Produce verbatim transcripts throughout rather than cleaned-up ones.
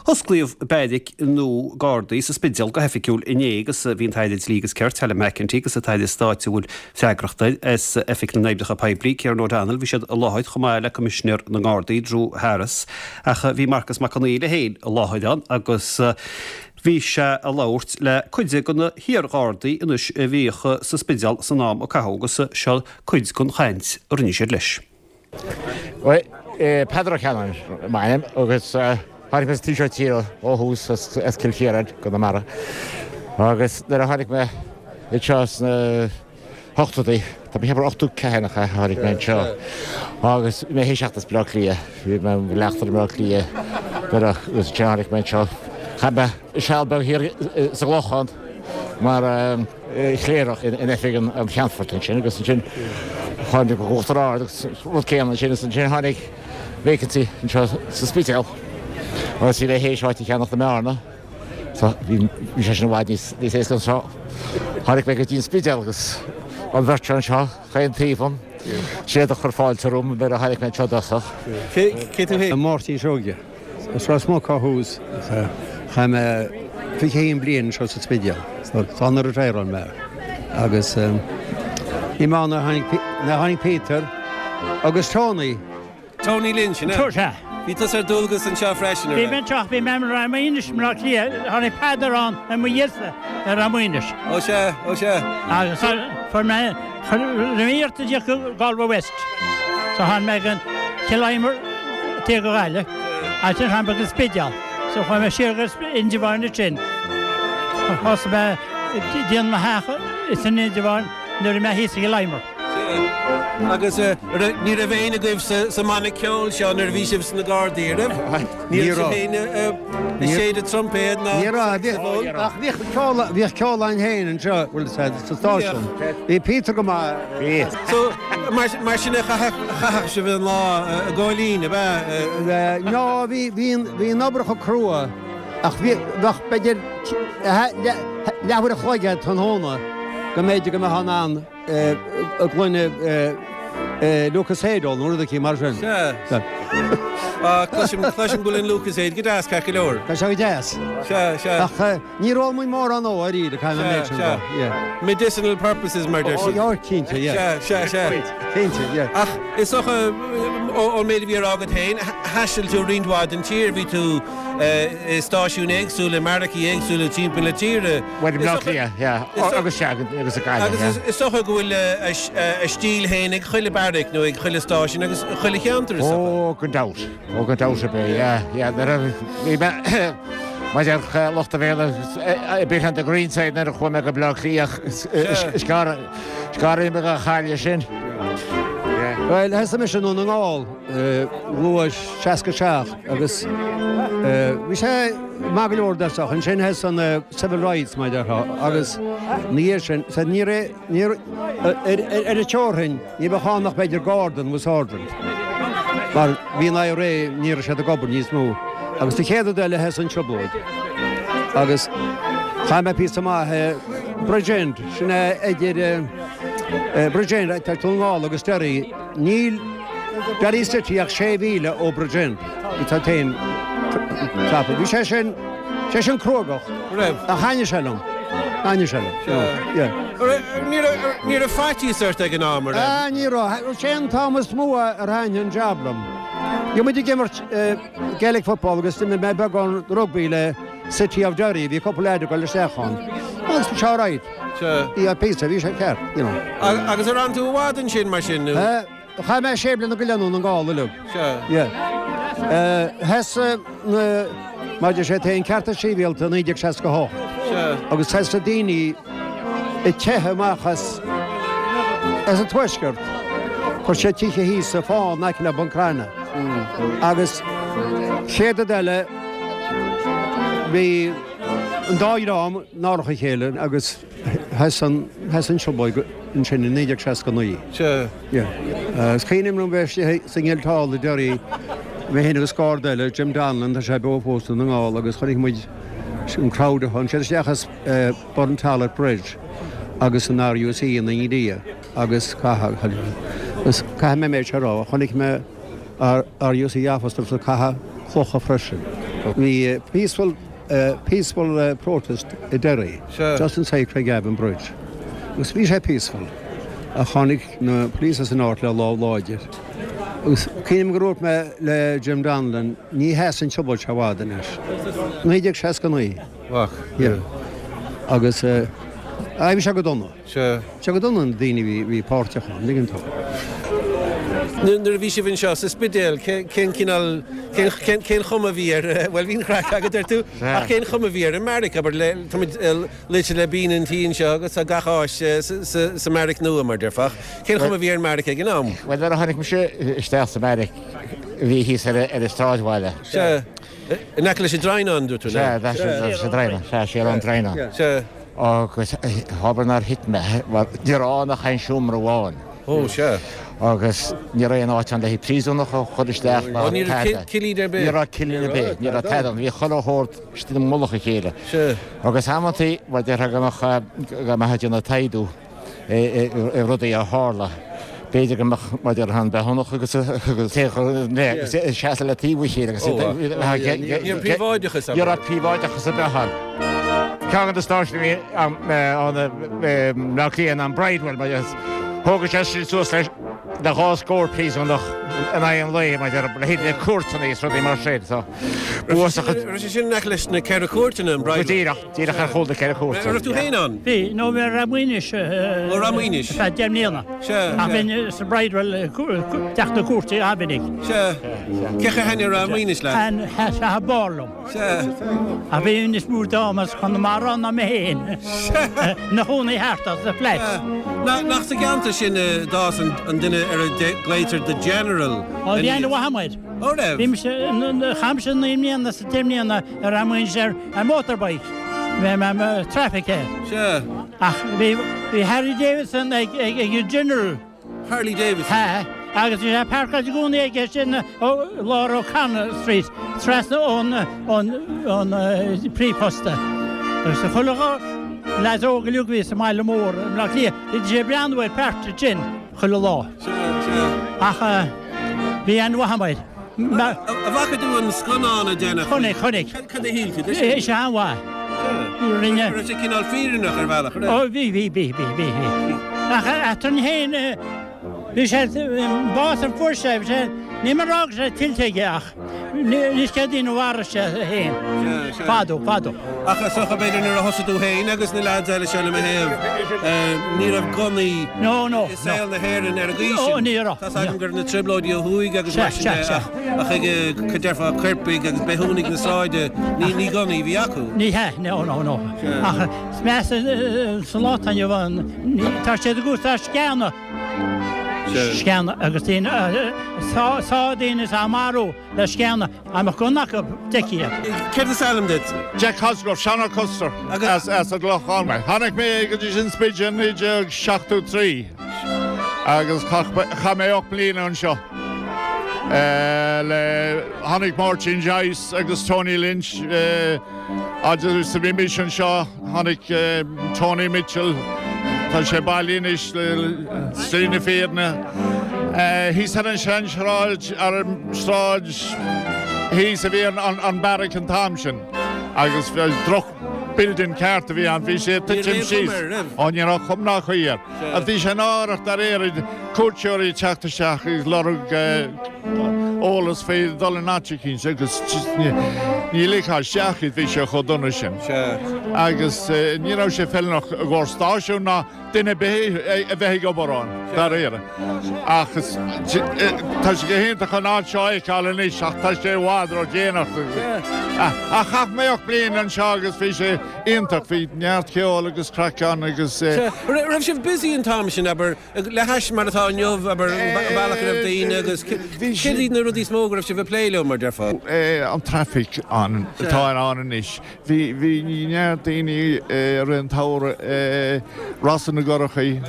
Osclaíodh beairic nua Gardaí sa Spidéal go hoifigiúil inné agus bhí an tAire Dlí agus Cirt, Helen McEntee agus an tAire Stáit a bhfuil freagracht air as Oifig na nOibreacha Poiblí, Kieran O'Donnell, bhí siad i láthair chomh maith le Coimisinéir na nGardaí, Drew Harris. Ach bhí Marcus Mac Conghail é féin i láthair ann agus bhí sé ag labhairt le cuid de na hiar-Ghardaí anois a bhíodh sa Spidéal san am a caitheadh agus seo cuid den chaint a rinne siad leis. Well, Peadar Ó Ceannáin m'ainm agus tháinig mé sa tír ó thús as Cill Chiaráin Conamara. Agus nuair a tháinig mé anseo sna hochtóidí, tá mé cheapadh ochtó ceathair a tháinig mé anseo. Agus mé théis teacht as Bleá Cliath, bhí mé leachtar Bleá Cliath agus tháinig mé anseo. Chaith mé seal beag thiar sa gClochán mar chléireach in oifig an Cheannfoirt ansin agus ansin tháinig go Uachtar Ard agus rud céanna ansin agus ansin tháinig vacancy anseo sa Spidéal. Agus bhí mé théis áit a cheannach i mBearna. So bhí sé sin i bhfad níos níos éasca anseo. Tháinig mé go dtí an Spidéal agus an bheirt anseo chaon taobh an siad a chur fáilte romham nuair a tháinig mé anseo dosach. Cé tú féin? Máirtín Seoige. Is Ros Muc ó thús chaith mé fiche haon bliain anseo sa Spidéal. Tá na retire mé. Agus bhí mé ann nuair a tháinig Peter agus Tony. Tony Lynch, sin é? Sea. Bhí tusa ar dualgas anseo freisin, Bhí mé anseo, bhí mé ar Maoinis i mBleá Cliath, tháinig Peadar ann i mo dhiaidhse ar Maoinis. Ó sea, ó sea. Agus fuair mé, rinne mé iarracht a dhíoch go Galway West. So tháinig mé go Cill Íomair taobh go Gaillimh, agus ansin tháinig mé go Spidéal. So chuaigh mé siar go Indreabhán ansin. Thosaigh mé ag déanamh mo theach san Indreabhán nuair a bhí mé thíos i gCill Íomair. Agus ní raibh éinne agaibh sa mbanna ceoil seo nuair a bhí sibh sna Gardaí, an raibh? Ní raibh sibh féin ag séideadh troimpéad ná Ní raibh, ach bhíodh ceol, bhíodh ceol againn féin anseo, bhfuil sa stáisiún. Bhí Peter go maith. So, mar sin a chaitheadh sibh an lá i gcóilín, ab ea? No, bhí, bhí bhí an obair chomh crua ach bhí, bheadh b'fhéidir leathuair a chloig tráthnóna go mb'fhéidir go mbeadh in ann a gcluineadh Lucozade nó rud éicint mar sin. Sea. Cloisim cloisim go bhfuil an Lucozade go deas ceart go leor. Tá sé go deas. Sea, sea. Ach níor ól muid mórán ó ariamh, caithfidh mé an méid sin a rá. Yeah. Medicinal purposes mar deir siad. Ó, cinnte, yeah. Sea, sea, sea. Cinnte, yeah. Ach is dócha ón méid a bhí á rá agat féin, thaistil tú roinnt mhaith den tír, bhí tú i stáisiúin éagsúla, i mbeairicí éagsúla timpeall na tíre. Well, i mBleá Cliath, yeah. Agus sea, agus i Gaillimh, yeah. Agus is dócha go bhfuil a stíl féin ag chuile beairic nó ag chuile stáisiún agus chuile cheantar, is dócha. Ó, gan dabht. Ó, gan dabht ar bith, yeah, yeah. Nuair a bhí mé mar lucht a bhéal bit on the green side nuair a chuaigh mé go Bleá Cliath, is gearr is gearr a bhí mé dhá chailleadh sin. Yeah. Well, thosaigh mise i nDún na nGall, luath seasca seacht agus bhí sé maith go leor dosach. Ansin thosaigh an civil rights mar a déarfá agus ina dhiaidh sin, so ní raibh, ní raibh, ar an teorainn ní bheadh ann ach b'fhéidir garda nó sergeant mar bhí an I R A, ní raibh siad ag obair níos mó. Agus an chéad rud eile thosaigh an trioblóid agus chaith mé píosa maith i Bridgend, sin é idir Bridgend, tá Dún na nGall agus Derry, níl Derry City ach sé mhíle ó Bridgend, tá féin ceapadh. Bhí sé sin, sé sin cruógach. Raibh. Ach thaitnigh sé liom. Thaitnigh sé liom. Sea. Yeah. Ní raibh, ní raibh faitíos ort ag an am, an raibh? Ah, ní raibh. Sé an t-am is mó ar thaitnigh an jab liom. Bhí muid ag imirt Gaelic football agus d'imir mé beagán rugbaí le City of Derry, bhí cúpla leaid ag dul isteach ann. Agus bhí sé alright. Sea. Bhí píosa, bhí sé ceart, you know. Agus ar fhan tú i bhfad ansin mar sin nó? Chaith mé sé bliana go leith i nDún na nGall uilig. Sea. Yeah. Thosaigh na, mar deir siad féin, cearta sibhialta naoi déag seasca a hocht. Sea. Agus thosaigh daoine ag teitheadh amach as, as an tuaisceart. Chuir siad tithe thíos sa fán in aice le Buncrana. Agus chéad rud eile, bhí an dá dhream náireach a chéile agus thosaigh an, thosaigh an trioblóid ansin i naoi déag seasca naoi. Sea. Yeah. Is cuimhin liom bheith istigh sa nGuildhall i Derry, mé féin agus garda eile, Jim Donlan, tá sé beo fós i nDún na nGall, agus chonaic muid an crowd a tháinig siad isteach as Burntollet Bridge agus an R U C ina ndiaidh agus caitheadh, agus caithfidh mé an méid seo a rá, chonaic mé R U C officers ag caitheamh clocha freisin. Bhí peaceful uh, peaceful uh, protest i Derry, Sure. just inside Craigavon Bridge. Agus bhí sé peaceful a tháinig na police san áit le lámh láidir. Agus cuimhním gur dhúirt mé le Jim Donlan ní sheasann an trioblóid seo i bhfad anois. Naoi déag seasca naoi. Wach. Yeah. Agus uh, bhí sé go dona. Sure. Sé go dona an daoine bhí bhí páirteach ann, tuigeann tú. Nuair a bhí sibh anseo sa Spidéal cén cineál cén chuma a bhí ar well bhí craic agat ar tú ach cén chuma a bhí ar an mbeairic abair luite le bín an tí seo agus a gach áis sa mbeairic nua mar déarfá. Cén chuma a bhí ar an mbeairic ag an am? Well nuair a tháinig mise isteach sa mbeairic bhí thíos ar ar an sráidbhaile. Se in aice leis an Draighneán dúirt tú Se se Draighneán se sé an Draighneán. Se Agus haber nar hit me ní raibh ach aon seomra amháin. Ó se. Agus ní raibh aon áit ann le príosúnach a chur isteach Ó ní raibh cillín ar bith. Ní raibh cillín ar bith, ní raibh tada, bhí chuile shórt istigh i mullach a chéile. Se. Agus amantaí mar deir go go mbeadh na taidú i rudaí a tharla. B'fhéidir go mbeadh mar deir han bheithnach agus seasamh le taobh a chéile agus Ní príobháideachas Ní raibh príobháideachas ar bith ann. Ceann de stáisiúin bhí an Bleá an Bridewell mar thógadh sé sin suas leis de dhá scór príosúnach in aghaidh an lae mar le haghaidh na cúirteanna is rudaí mar sin so Raibh sé sin in aice leis na ceithre cúirteanna an Bridewell. Díreach díreach ar chúl na ceithre cúirt. Raibh tú féin ann? Bhí nó bhí Ramuinis Ó Ramuinis. Fe deich mbliana. Se. Ach bhí sa Bridewell teach na cúirte Abinig. Se. Cé hen ar Ramuinis le? An se bárlum. Se. A bhí níos mó damas chun mar an na mé féin. Na chónaí thart as the flats. Nach sa gceantar sin d'fhás an duine ar a glaoitear the General. Ó bhí an Mohammed. Ó raibh? Bhí chaimse naoi mbliana sa deich mbliana ar Ramuinis ar ar motorbike. Bhí mé traffic é. Se. Ach bhí bhí Harry Davidson ag ag ag General. Harley Davidson. Ha, agus bhí sé páirceáilte i gcónaí aige sin ó lár O'Connell Street, trasna ón ón ón príomhphosta. Agus a chuile leaid óg uilig bhí sa mbaile mór, i mBleá Cliath, bhí sé breathnú ar páirt sin chuile lá. Se, se. Ach bhí an Mohammed. A bhfaca tú an scannán a déanamh? Chonaic, chonaic. Cad a shíl tú? É sé an-mhaith. Rinne. Raibh sé cineál fírinneach ar bhealach, raibh? Ó bhí bhí bhí bhí bhí bhí. Ach eatarinn féin bhí sé bás an fuair sé, bhí sé ní mar rá sé tuillte aige ach ní céad ó mharaigh sé féin. Fadó, fadó. Ach is dócha b'fhéidir nuair a thosaigh tú féin agus na lads eile seo le mo thaobh, ní raibh gunnaí No, no, i saol na hÉireann ar an gcaoi Ó, sin. ní raibh. Tá agam gur na trioblóidí ó thuaidh agus mar sin de, ach ach ag cad déarfá coirpigh agus bithiúnaigh na sráide, ní ní gunnaí a bhí acu. Ní hea, no, no, no. Ach is measa sa lá atá inniu ann, tá siad ag úsáid sceana. Sceana agus daoine sá sá daoine is á marú le sceana a mbeadh gunna acu deich iad. Céard is ainm duit? Jack Cosgrove, Sean Custer as as an gClochán mé. Tháinig mé go dtí an Spidéal naoi déag seachtó trí agus chaith mé ocht mbliana anseo. Le tháinig Martin Joyce agus Tony Lynch agus bhí mise anseo tháinig Tony Mitchell Tá sé bailithe anois le slí na fírinne. Thíos ar an seansráid ar an sráid thíos a bhí an beairic an t-am sin agus droch building ceart a bhí ann bhí sé titim síos Ó ní raibh cuma ná caoi air. A bhí sé náireach dáiríre cuairteoirí teacht isteach agus lorg eolas faoi dul in áit éicint agus ní ligfeá isteach iad bhí sé chomh dona sin. Agus ní raibh sé feiliúnach i gcomhair stáisiún ná duine ar bith a bheith ag obair ann dáiríre. Ach tá sé go hiontach an áit seo a fheiceáil anois ach tá sé i bhfad ródhéanach. Ach chaith mé ocht bliain anseo agus bhí sé iontach bhí neart ceol agus craic ann agus. Raibh sibh busy an t-am sin abair le hais mar atá inniu abair an bealach a raibh daoine agus céard iad na rudaí is mó go raibh sibh ag plé leo mar déarfá? An traffic an atá ann anois. Bhí bhí neart daoine i rith an tsamhraidh Rása na gCurachaí,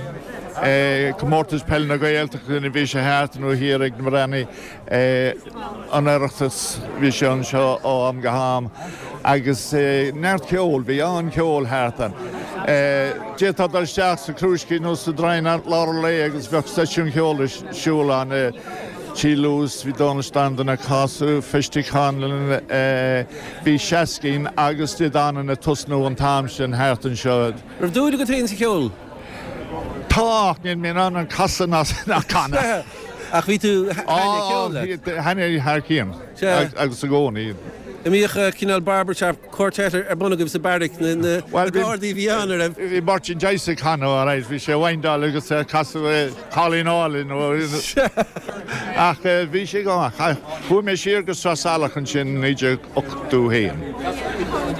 Comórtas Peile na Gaeltachta a bhí sé thart nó thiar ag na Breathnaigh, an Oireachtas bhí sé anseo ó am go ham agus neart ceoil, bhí an-cheol thart ann. D'fhéadfá dul isteach sa Chrúiscín nó sa Draighneán lár an lae agus bheadh seisiún ceoil ar siúl ann. Tí Lewis, bhí Donal Standon ag casadh, Festy Conlon, bhí Shaskeen agus Dé Danann ag tosnú an t-am sin thart anseo. Raibh dúil agat féin sa cheol? Tá, ach níl mé in ann an casadh ná canadh. Ach bhí tú, thaitnigh ceol leat? Thaitnigh thar cionn, agus i gcónaí. An mbíodh cineál barbershop quartet ar bun agaibh sa beairic, na Gardaí a bhí ann, an raibh? Bhí Máirtín Joyce ag canadh, alright, bhí sé ag windáil agus ag casadh Cailín Álainn ach bhí sé go maith. Chuaigh mé siar go Sraith Salach ansin i naoi déag ochtó haon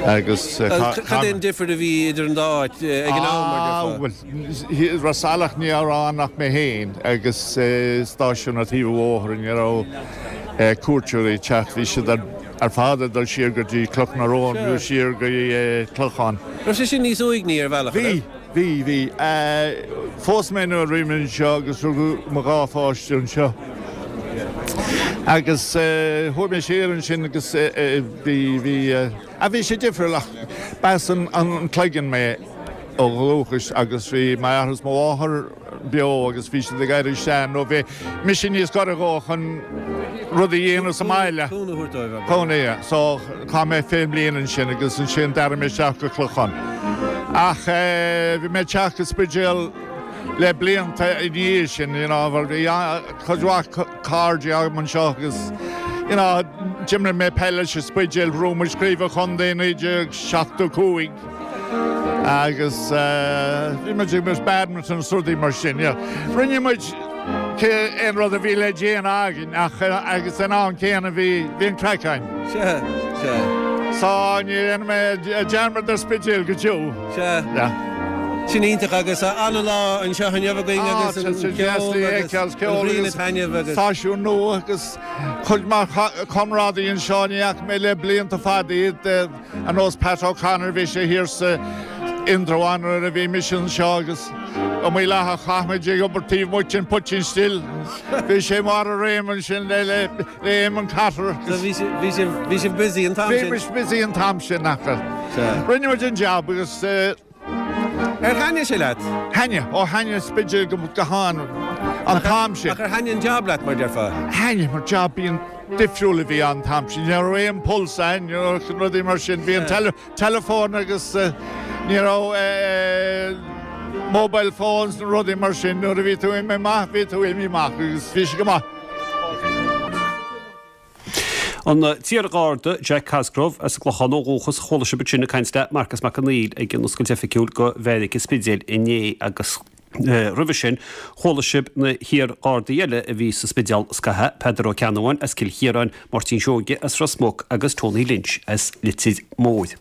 agus. Cad é an difear a bhí idir an dá áit ag an am, mar déarfá? Bhuel, Ráth Salach ní raibh ann ach mé féin agus stáisiún ar thaobh an bhóthair, ní raibh cuairteoirí ag teacht, bhí siad ar ar fad ag dul siar go dtí Cloch na Rón nó siar go dtí Clochán. Raibh sé sin níos uaigní ar bhealach, an raibh? Bhí, bhí, bhí. Phós mé nuair a bhí mé anseo agus rugadh mo dhá pháiste anseo. Agus chuaigh mé siar ansin agus bhí, bhí, ah bhí sé difriúil ach b'as an Cloigeann mé ó dhúchas agus bhí m'athair is mo mháthair beo agus bhí siad ag éirí sean nó bhí mise níos gaire dhóibh chun rud a dhéanamh sa mbaile. Cúnamh a thabhairt dóibh, abair. Cúnamh, yeah. So chaith mé fiche bliain ansin agus ansin d'athraigh mé isteach go Clochán. Ach bhí mé ag teacht go Spidéal le blianta ina dhiaidh sin, you know, bhí cuid mhaith cairde agam anseo agus, you know, d'imir mé peil leis an Spidéal, bhuaigh muid craobh an chontae i naoi déag seachtó cúig. Agus bhí muid ag imirt badminton is rudaí mar sin. Rinne muid aon rud a bhí le déanamh againn ach agus san am céanna bhí bhí an craic againn. Sea, sea. So ní dhéanfaidh mé dearmad ar Spidéal go deo. Sea. Yeah. Sin iontach agus an-lá anseo inniu againn agus an ceol agus an ghrian ag taitneamh agus. Stáisiún nua agus cuid mhaith comrádaí anseo ní fhaca mé le blianta fada iad. Ar nós Pat O'Connor, bhí sé thiar sa Indreabhán nuair a bhí mise anseo agus iomaí lá a chaith muid ag obair taobh amuigh den Poitín Stil. Bhí sé i mbarr a réime ansin le le Éamonn Cotter. So bhí sibh, bhí sibh, bhí sibh busy an t-am Bhí sin? muid busy an t-am sin ach Sea. rinne muid an jab agus eh, Ar thaitnigh sé leat? Thaitnigh, ó thaitnigh Spidéal go go han an t-am sin. Ach ar thaitnigh an jab leat, mar déarfá? Thaitnigh, mar jab bíonn difriúil a bhí ann an t-am sin. Ní raibh aon pulse ann, ní raibh rudaí mar sin. Bhí an teileafón agus ní raibh mobile phones nó rudaí mar sin. Nuair a bhí tú imithe amach, bhí tú imithe amach agus bhí sé go maith. An t-iar-Gharda Jack Cosgrove as an gClochán ó dhúchas, chuala sibh ansin ag caint le Marcas Mac Conghail ag an oscailt oifigiúil go Bheairic an Spidéil inné agus roimhe sin chuala sibh na hiar-Ghardaí eile a bhí sa Spidéal scaitheamh, Peadar Ó Ceannabháin as Cill Chiaráin, Máirtín Seoige as Ros Muc agus Tony Lynch as Leitir Móir.